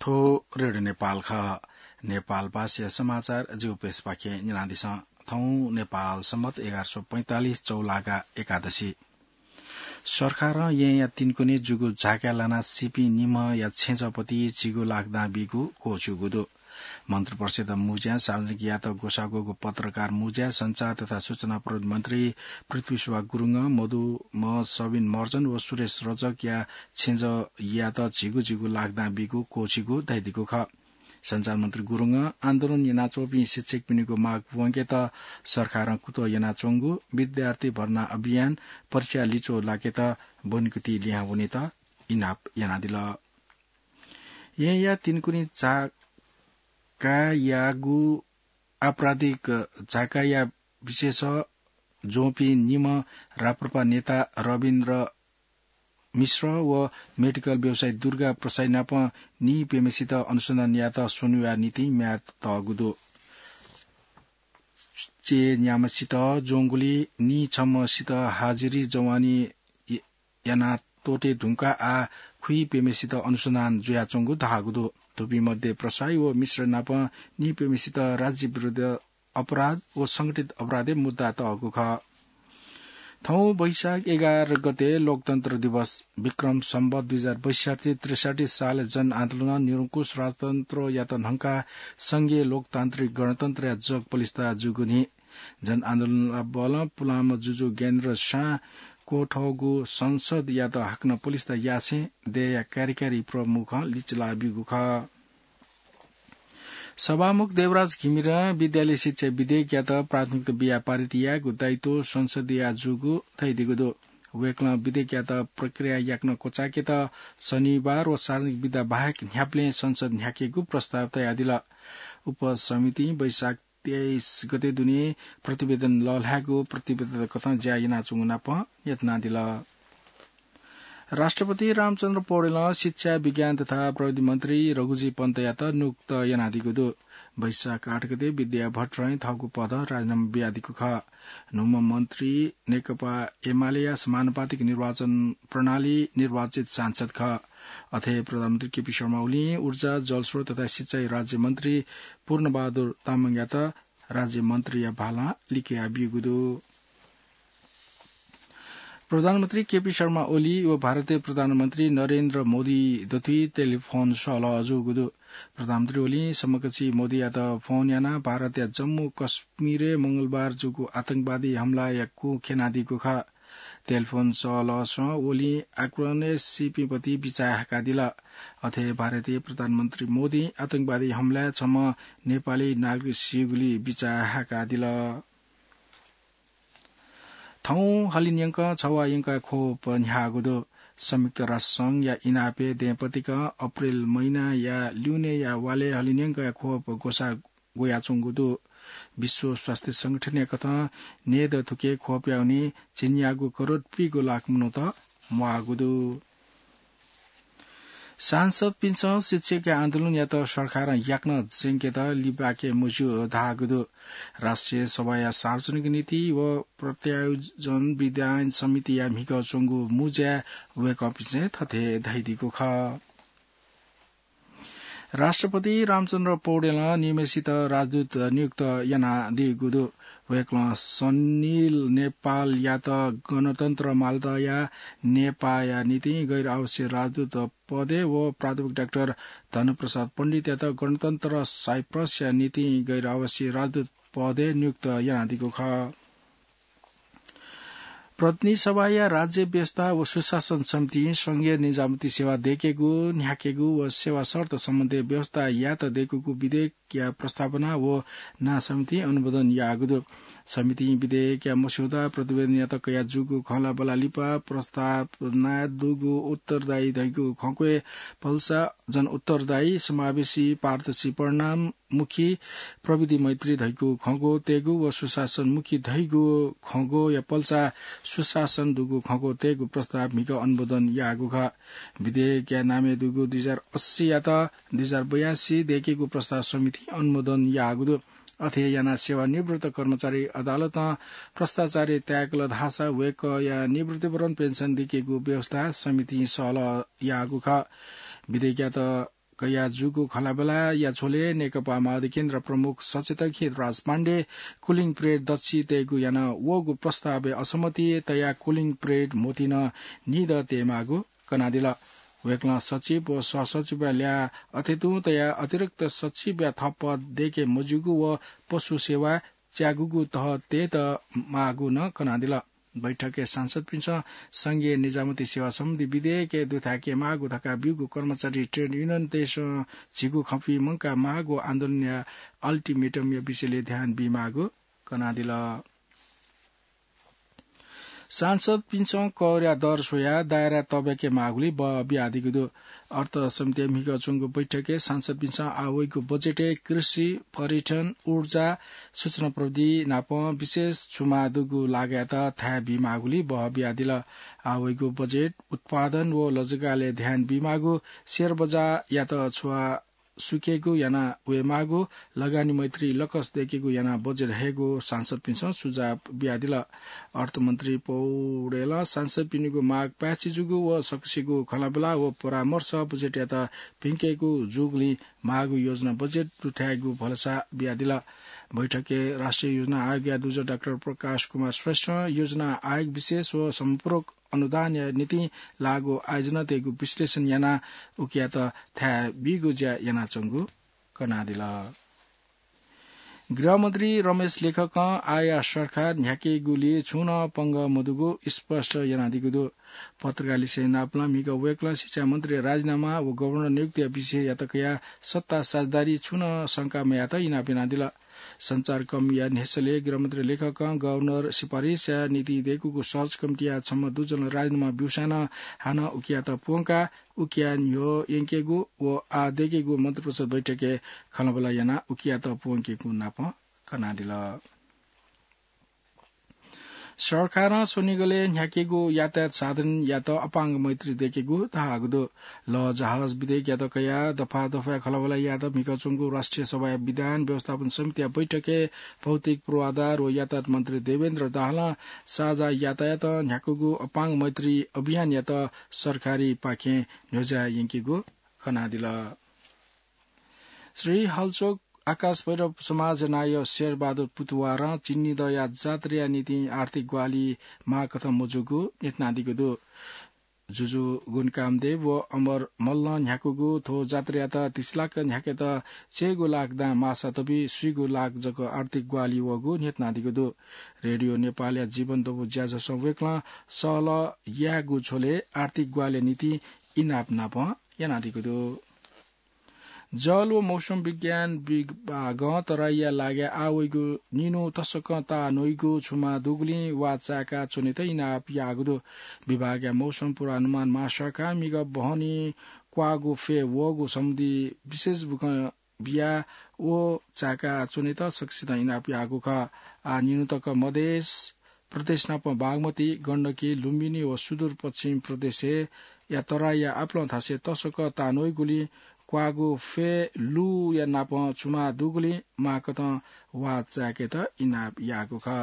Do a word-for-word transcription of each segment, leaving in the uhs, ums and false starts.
थ्व रेडियो नेपाल खः। नेपाल भाषाया समाचार जिगु प्रेसपाखें न्यनादिसँ। थौं नेपाल सम्बत एघार सय पैंतालिस चौलागा एकादशी। सरकारं येँया तिनकुने जूगु झाकाय् लानाः सीपिं निम्हया छेँजःपति झिगू लाख दां बीगु क्वःछिउगु दु। मन्त्रिपरिषद् मुँज्यां सार्वजनिक यात ग्वसाः ग्वःगु पत्रकार मुँज्याय् सञ्चार तथा सूचना प्रविधि मन्त्री पृथ्वीशोभा गुरुङं मदुम्ह सबिन महर्जन व सुरेश रजकया छेँजःयात झिगू झिगू लाख दां बीगु क्वःछिउगु धयादीगु खः। सञ्चार मन्त्री गुरुङं आन्दोलन यानाच्वंपिं शिक्षकपिनिगु माग प्वंकेत सरकारं कुतः यानाच्वंगु, विद्यार्थी भर्ना अभियान, परीक्षा लिच्वः लाकेत ब्वनेकुथि लिहां वनेत इनाप यानादिल। येँया तिनकुने झाकायागु आपराधिक झाकाया विशेष ज्वंपिं निम्ह राप्रपा नेता रविन्द्र मिश्र व मेडिकल व्यवसायी दुर्गा प्रसाई नाप नीप्यम्हेसित अनुसन्धान यायेत स्वन्हुया निंतिं म्याद तःगु दु। च्यय् न्याम्हसित ज्वंगुलिं नीछम्हसित हाजिरी जवानी य-, याना त्वःते धुंकाः आः खुइप्यम्हेसित अनुसन्धान जुयाच्वंगु धाःगु दु। थुपिं मध्ये प्रसाई व मिश्र नाप नीप्यम्हेसित राज्य विरुद्ध अपराध व संगठित अपराधय् मुद्दा तःगु खः। थौं वैशाख एघार गते लोकतन्त्र दिवस, विक्रम सम्वत दुई हजार बैसठ्ठी त्रिसठ्ठी सालय् जनआन्दोलनं निरंकुश राजतन्त्रयात न्हंकाः संघीय लोकतान्त्रिक गणतन्त्रया जग पलिस्था जूगु नि। जनआन्दोलनया बलं पुलांम्ह जुजु ज्ञानेन्द्र शाहं क्वथःगु संसदयात हाकनं पलिस्था यासें देय्‌या कार्यकारी प्रमुखं लिचिलाः ब्यूगु खः। सभामुख देवराज घिमिरें विद्यालय शिक्षा विधेयकयात प्राथमिकता बियाः पारित यायेगु दायित्व संसदया जूगु धयादीगु दु। वय्‌कलं विधेयकयात प्रक्रिया याकनं क्वचायेकेत शनिबार व सार्वजनिक बिदा बाहेक न्ह्याबलें संसद न्ह्याकेगु प्रस्ताव तयादिल। उपसमितिं वैशाख तेइस गते दुने प्रतिवेदन लःल्हायेगु प्रतिबद्धता कथं ज्या यानाच्वंगु नाप न्ह्यथनादिल। राष्ट्रपति रामचन्द्र पौडेलं शिक्षा, विज्ञान तथा प्रविधि मन्त्री रघुजी पन्तयात नियुक्त यानादीगु दु। वैशाख आठ गते विद्या भट्टराईं थःगु पदं राजीनामा बियादीगु खः। न्हूम्ह मन्त्री नेकपा एमालेया समानुपातिक निर्वाचन प्रणाली निर्वाचित सांसद खः। अथे प्रधानमन्त्री केपी शर्मा ओलीं ऊर्जा, जलस्रोत तथा सिँचाइ राज्यमन्त्री पूर्णबहादुर तामाङयात राज्यमन्त्रीया भालां लिकया ब्यूगु दु। प्रधानमन्त्री केपी शर्मा ओली व भारतीय प्रधानमन्त्री नरेन्द्र मोदी दथुइ टेलिफोन सहलह जूगु दु। प्रधानमन्त्री ओलीं समकक्षी मोदीयात फोन यानाः भारतया जम्मू कश्मीरय् मंगलबार जूगु आतंकवादी हमलाया कुँ ख्यनादीगु खः। टेलिफोन सहलहसं ओलीं आक्रमणय् सीपिं पति बिचाः हाकादिल। अथे भारतीय प्रधानमन्त्री मोदीं आतंकवादी हमलाय् छम्ह नेपाली नागरिक सीगुली बिचाः हाकादिल। थौं हलिंन्यंकं छवाः यंकाः ख्वप न्ह्याःगु दु। संयुक्त राष्ट्र संघया इनापय् दँय्‌पतिकं अप्रेल महिनाया ल्यूनेया वालय् हलिंन्यंकं ख्वप ग्वसाः ग्वयाच्वंगु दु। विश्व स्वास्थ्य संगठनया कथं नये दथुके ख्वपया हुनिं झिंन्यागू करोड पीगू लाख मनूत म्वाःगु दु। सांसदपिन्सं शिक्षकया आन्दोलनयात सरकारं याकनं ज्यंकेत लिबाके मज्यू धाःगु दु। राष्ट्रिय सभाया सार्वजनिक नीति व प्रत्यायोजन विधायन समितिया म्हिगः च्वंगु मुँज्याय् वय्‌कःपिन्सं थथे धयादीगु खः। राष्ट्रपति रामचन्द्र पौडेलं निम्हसित राजदूत नियुक्त यानादीगु दु। वय्‌कलं सनिल नेपालयात गणतन्त्र मालतया नेपाःया निंतिं गैर आवश्यक राजदूत पदय् व प्राध्यापक डाक्टर धनप्रसाद पण्डितयात गणतन्त्र साइप्रसया निंतिं गैर आवश्यक राजदूत पदय् नियुक्त यानादीगु खः। प्रतिनिधि सभाया राज्य व्यवस्था व सुशासन समितिं संघीय निजामती सेवा दय्‌केगु, न्ह्याकेगु व सेवा शर्त सम्बन्धी व्यवस्था यायेत दय्‌कूगु विधेयकया प्रस्तावना व नां समितिं अनुमोदन याःगु दु। समितिं विधेयकया मस्यौदा प्रतिवेदनयात कयाजूगु खँल्हाबल्हा लिपा प्रस्तावनाय् दुगु उत्तरदायी धइगु खँग्वय् पल्सा जनउत्तरदायी, समावेशी, पारदर्शी, परिणाम मुखी, प्रविधि मैत्री धइगु खँग्वः तयेगु व सुशासन मुखी धइगु खँग्वःया पल्सा सुशासन दुगु खँग्वः तयेगु प्रस्ताव म्हिगः अनुमोदन याःगु खः। विधेयकया नामय् दुगु दुई हजार अस्सीयात दुई हजार बयासी दय्‌केगु प्रस्ताव समितिं अनुमोदन याःगु दु। अथे यानाः सेवानिवृत्त कर्मचारी अदालतं भ्रष्टाचारी ताय्‌कल धाःसा वय्‌कःया निवृत्तिपूर्व पेन्सन दय्‌केगु व्यवस्था समितिं सहलह याःगु खः। विधेयकयात कया जूगु खँल्हाबल्हाया झ्वलय् नेकपा माओवादी केन्द्र प्रमुख सचेतक हितराज पाण्डे cooling period दच्छि तयेगु याना वःगु प्रस्तावय् असहमति तयाः cooling period म्होतिं निदँ तयेमाःगु कनादिल। वय्कलं सचिव व सहसचिवया ल्याः अथे तुं तयाः अतिरिक्त सचिवया थप पद दय्के मज्यूगु व पशु सेवा च्यागूगु तह तयेत माःगु नं कनादिल। बैठकय् सांसदपिन्सं संघीय निजामती सेवा सम्बन्धी विधेयकय् दुथ्याके माःगु धकाः ब्यूगु कर्मचारी ट्रेड युनियनतय्सं झीगु खँपुइ मंका माःगु आन्दोलनया ultimatum या विषयलय् ध्यान बीमाःगु कनादिल। सांसदपिन्सं करया दर स्वयाः दायरा तब्याके माःगुलिं बह बियादीगु दु। अर्थ समितिया म्हिगः च्वंगु बैठकय् सांसदपिन्सं आः वइगु बजेटय् कृषि, पर्यटन, ऊर्जा, सूचना प्रविधि नापं विशेष छुमा दुगु लागःयात थाय् बीमाःगुलिं बह बियादिल। आः वइगु बजेट उत्पादन व लजगालय् ध्यान बीमाःगु, सेयर बजारयात छुवा सुकेगु याना वयेमाःगु, लगानी मैत्री लकस दय्केगु याना बजेट हयेगु सांसदपिन्सं सुझाव बियादिल। अर्थमन्त्री पौडेलं सांसदपिनिगु माग पाय्छि जूगु व सकसिगु खँल्हाबल्हा व परामर्श बजेटयात भिंकेगु जूगुलिं माःगु योजना बजेट दुथ्यायेगु भलसा बियादिल। बैठकय् राष्ट्रिय योजना आयोगया दुजः डाक्टर प्रकाश कुमार श्रेष्ठं योजना आयोग विशेष व समपूरक अनुदानया निंतिं लाःगु आयोजनातय्गु विश्लेषण यानाः उकियात थाय् बीगु ज्या यानाच्वंगु कनादिल। गृहमन्त्री रमेश लेखकं आःया सरकार न्ह्याकेगुलिइ छुं नं पंगः मदुगु स्पष्ट यानादीगु दु। पत्रकारलिसे इनाप नापं म्हिगः वय्कलं शिक्षा मन्त्री राजीनामा व गभर्नर नियुक्तिया विषययात कयाः सत्ता साझेदारी छुं नं शंका मयायेत इनाप यानादिल। सञ्चारकर्मीया न्ह्यसःलय् गृहमन्त्री लेखकं गभर्नर सिफारिसया निंतिं दय्कूगु सर्च कमिटीया छम्ह दुजलं राजीनामा ब्यूसां नं हानं उकियात प्वंकाः उकिया न्ह्यः यंकेगु व आः दय्केगु मन्त्रिपरिषद बैठकय् खँल्हाबल्हा यानाः उकियात प्वंकेगु नापं कनादिल। सरकारं स्वनिगलय् न्ह्याकेगु यातायात साधनयात अपाङ्ग मैत्री दय्केगु धाःगु दु। लःजहाज विधेयकयात कयाः दफा दफाय् खँल्हाबल्हा यायेत म्हिगः च्वंगु राष्ट्रिय सभाया विधान व्यवस्थापन समितिया बैठकय् भौतिक पूर्वाधार व यातायात मन्त्री देवेन्द्र दाहालं साझा यातायातं न्ह्याकूगु अपाङ्ग मैत्री अभियानयात सरकारपाखें न्ह्यज्याः यंकेगु कनादिल। श्री हलचोक आकाश भैरव समाज नायः शेरबहादुर पुतुवारं चिन्निदँया जात्राया निंतिं आर्थिक ग्वाहालि माःकथं मजूगु न्ह्यथनादीगु दु। जुजु गुण कामदेव व अमर मल्लं न्ह्याकूगु थ्व जात्रायात तिस लाख न्ह्याकेत चय्गू लाख दां माःसा तबि स्वीगू लाख जक आर्थिक ग्वाहालि वःगु न्ह्यथनादीगु दु। रेडियो नेपालया जीवन दबू ज्याझ्वलं वय्कलं सहलह यायेगु झ्वलय् आर्थिक ग्वाहालिया निंतिं इनाप नापं यानादीगु दु। जल व मौसम विज्ञान विभागं तराईया लागाय् आः वइगु निन्हु तसकं ताः न्वइगु छुमा दुगुलिं वा चाय्का च्वनेत इनाप याःगु दु। विभागया मौसम पूर्वानुमान महाशाखां म्हिगः बहनी क्वाःगु फय् वःगु सम्बन्धी विशेष बुखँ बियाः व चाय्का च्वनेत सकसितं इनाप याःगु खः। आः निन्हु तक मधेस प्रदेश नाप बागमती, गण्डकी, लुम्बिनी व सुदूरपश्चिम प्रदेशया तराईया आपालं थासय् तसकं ताः न्वइगुलिं क्वाःगु फय् लुँया नाप छुमा दुगुलिं माःकथं वा चाय्केत इनाप याःगु खः।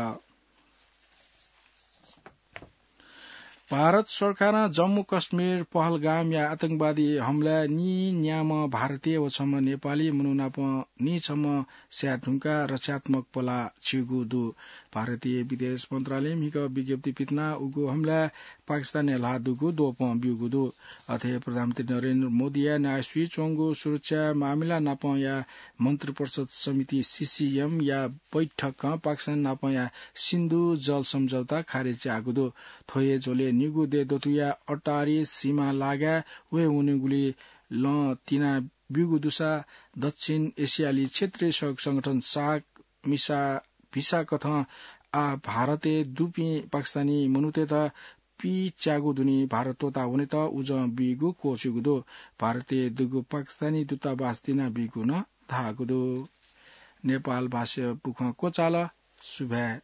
भारत सरकारं जम्मू कश्मीर पहलगामया आतंकवादी हमलाय् नीन्याम्ह भारतीय व छम्ह नेपाली मनू नाप नीछम्ह स्याये धुंकाः रक्षात्मक पलाः छिउगु दु। भारतीय विदेश मन्त्रालयं म्हिगः विज्ञप्ति पिथनाः उगु हमलाय् पाकिस्तानया ल्हाः दुगु द्वपं ब्यूगु दु। अथे प्रधानमन्त्री नरेन्द्र मोदीया नायःसुइ च्वंगु सुरक्षा मामिला नापंया मन्त्रिपरिषद समिति, सीसीएम, या बैठकं पाकिस्तान नापंया सिन्धु जल सम्झौता खारेज याःगु दु। थ्व हे झ्वलय् निगू देय् दथुया अटारी सीमा लागाय् वये वनेगुलिइ लं तिना ब्यूगु दुसा दक्षिण एसियाली क्षेत्रीय सहयोग संगठन सार्क मिसा भिसा कथं आः भारतय् दुपिं पाकिस्तानी मनूतय्त पिच्याःगु दुने भारत त्वःता वनेत उजं बीगु क्वःछिउगु दु। भारतय् दुगु पाकिस्तानी दूतावास तिना बीगु नं धाःगु दु। नेपाल भाषाया बुखँ क्वचाल। सुभाय्।